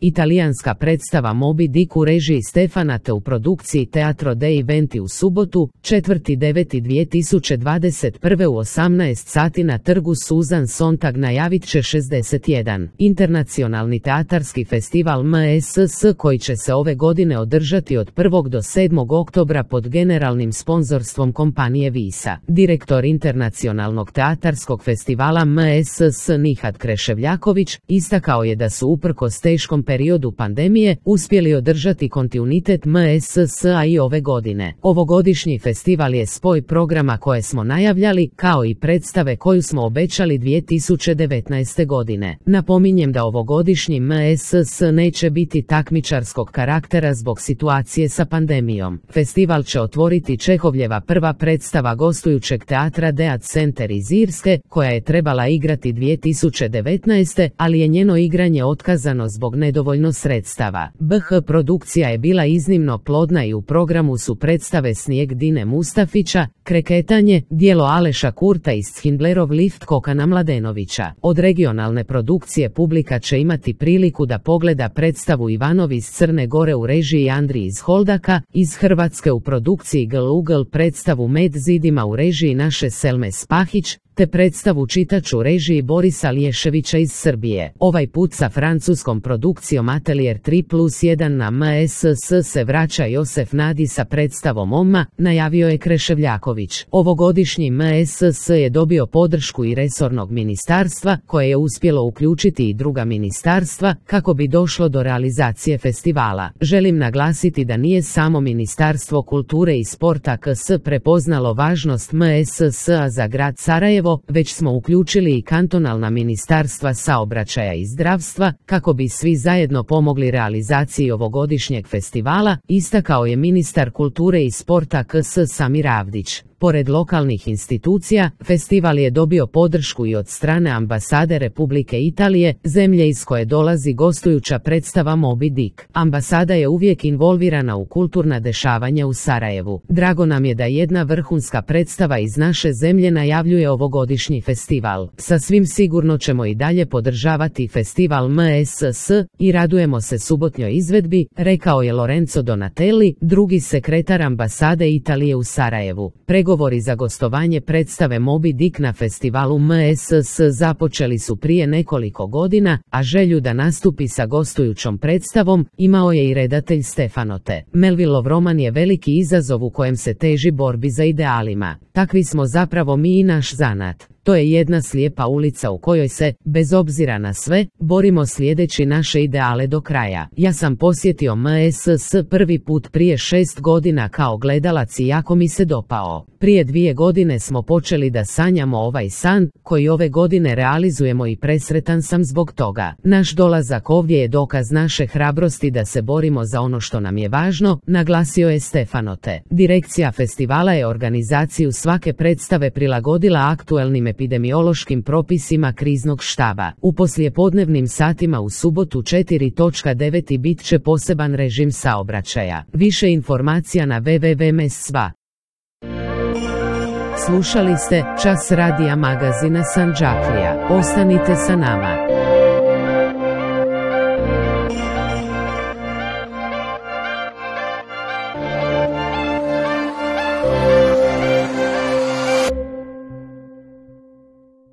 Italijanska predstava Moby Dick u režiji Stefana te u produkciji Teatro dei Venti u subotu, 4.9.2021. u 18 sati na trgu Susan Sontag najavit će 61. internacionalni teatarski festival MSS koji će se ove godine održati od 1. do 7. oktobra pod generalnim sponzorstvom kompanije Visa. Direktor internacionalnog teatarskog festivala MSS Nihat Kreševljaković istakao je da su uprkos teškom periodu pandemije uspjeli održati kontinuitet MSS-a i ove godine. Ovogodišnji festival je spoj programa koje smo najavljali, kao i predstave koju smo obećali 2019. godine. Napominjem da ovogodišnji MSS neće biti takmičarskog karaktera zbog situacije sa pandemijom. Festival će otvoriti Čehovljeva prva predstava gostujućeg teatra Dead Center iz Irske, koja je trebala igrati 2019. ali je njeno igranje otkazano zbog nedovoljno sredstava. BH produkcija je bila iznimno plodna i u programu su predstave Snijeg Dine Mustafića, Kreketanje, djelo Aleša Kurta i Schindlerov lift Kokana Mladenovića. Od regionalne produkcije publika će imati priliku da pogleda predstavu Ivanov iz Crne Gore u režiji Andri iz Holdaka, iz Hrvatske u produkciji Gl Ugl predstavu Med zidima u režiji naše Selme Spahić, te predstavu Čitač u režiji Borisa Liješevića iz Srbije. Ovaj put sa francuskom produkcijom Atelier 3+1 na MSS se vraća Josef Nadi sa predstavom Oma, najavio je Kreševljaković. Ovogodišnji MSS je dobio podršku i resornog ministarstva, koje je uspjelo uključiti i druga ministarstva, kako bi došlo do realizacije festivala. Želim naglasiti da nije samo Ministarstvo kulture i sporta KS prepoznalo važnost MSS-a za grad Sarajevo, već smo uključili i kantonalna ministarstva saobraćaja i zdravstva, kako bi svi zajedno pomogli realizaciji ovogodišnjeg festivala, istakao je ministar kulture i sporta KS Samir Avdić. Pored lokalnih institucija, festival je dobio podršku i od strane ambasade Republike Italije, zemlje iz koje dolazi gostujuća predstava Moby Dick. Ambasada je uvijek involvirana u kulturna dešavanja u Sarajevu. Drago nam je da jedna vrhunska predstava iz naše zemlje najavljuje ovogodišnji festival. Sasvim sigurno ćemo i dalje podržavati festival MSS i radujemo se subotnjoj izvedbi, rekao je Lorenzo Donatelli, drugi sekretar ambasade Italije u Sarajevu. Pregovori za gostovanje predstave Moby Dick na festivalu MSS započeli su prije nekoliko godina, a želju da nastupi sa gostujućom predstavom imao je i redatelj Stefano T. Melvillov roman je veliki izazov u kojem se teži borbi za idealima. Takvi smo zapravo mi i naš zanat. To je jedna slijepa ulica u kojoj se, bez obzira na sve, borimo slijedeći naše ideale do kraja. Ja sam posjetio MSS prvi put prije 6 godina kao gledalac i jako mi se dopao. Prije 2 godine smo počeli da sanjamo ovaj san, koji ove godine realizujemo i presretan sam zbog toga. Naš dolazak ovdje je dokaz naše hrabrosti da se borimo za ono što nam je važno, naglasio je Stefano T. Direkcija festivala je organizaciju svake predstave prilagodila aktuelnim epidemiološkim propisima kriznog štaba. U poslijepodnevnim satima u subotu 4.9. bit će poseban režim saobraćaja. Više informacija na www.msva. Slušali ste Čas radija magazina Sandžaklija. Ostanite sa nama.